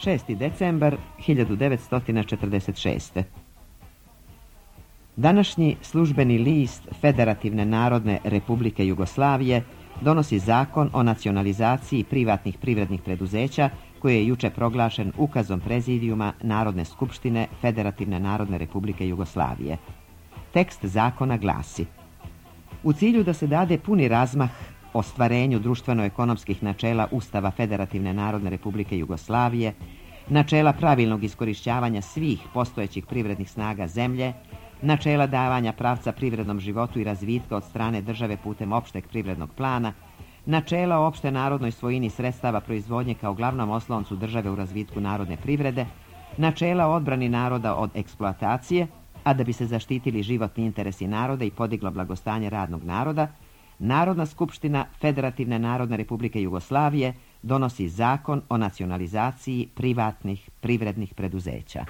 6. decembar 1946. Današnji službeni list Federativne narodne republike Jugoslavije donosi zakon o nacionalizaciji privatnih privrednih preduzeća koji je juče proglašen ukazom Prezidijuma Narodne skupštine Federativne narodne republike Jugoslavije. Tekst zakona glasi: u cilju da se dade puni razmah ostvarenju društveno-ekonomskih načela Ustava Federativne narodne republike Jugoslavije, načela pravilnog iskorišćavanja svih postojećih privrednih snaga zemlje, načela davanja pravca privrednom životu i razvitka od strane države putem opšteg privrednog plana, načela o opšte narodnoj svojini sredstava proizvodnje kao glavnom osloncu države u razvitku narodne privrede, načela o odbrani naroda od eksploatacije, a da bi se zaštitili životni interesi naroda i podiglo blagostanje radnog naroda, Narodna skupština Federativne narodne republike Jugoslavije donosi zakon o nacionalizaciji privatnih privrednih preduzeća.